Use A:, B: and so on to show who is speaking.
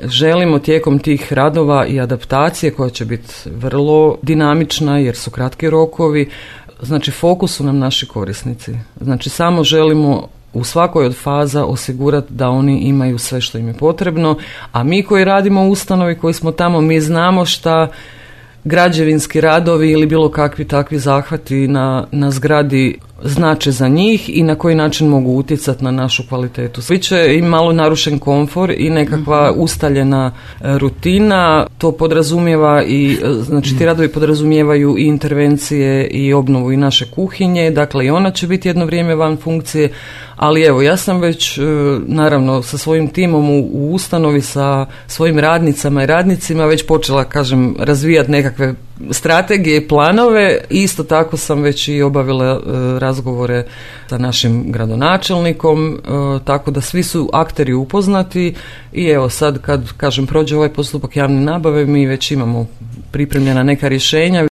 A: želimo tijekom tih radova i adaptacije koja će biti vrlo dinamična jer su kratki rokovi, znači fokus su nam naši korisnici. Znači samo želimo u svakoj od faza osigurati da oni imaju sve što im je potrebno, a mi koji radimo u ustanovi, koji smo tamo, mi znamo šta građevinski radovi ili bilo kakvi takvi zahvati na zgradi znače za njih i na koji način mogu utjecati na našu kvalitetu. Biće i malo narušen komfor i nekakva ustaljena rutina, to podrazumijeva i, znači ti radovi podrazumijevaju i intervencije i obnovu i naše kuhinje, dakle i ona će biti jedno vrijeme van funkcije, ali evo ja sam već naravno sa svojim timom u ustanovi, sa svojim radnicama i radnicima već počela, kažem, razvijati nekakve strategije i planove. Isto tako sam već i obavila razgovore sa našim gradonačelnikom, tako da svi su akteri upoznati i evo sad kad, kažem, prođe ovaj postupak javne nabave, mi već imamo pripremljena neka rješenja.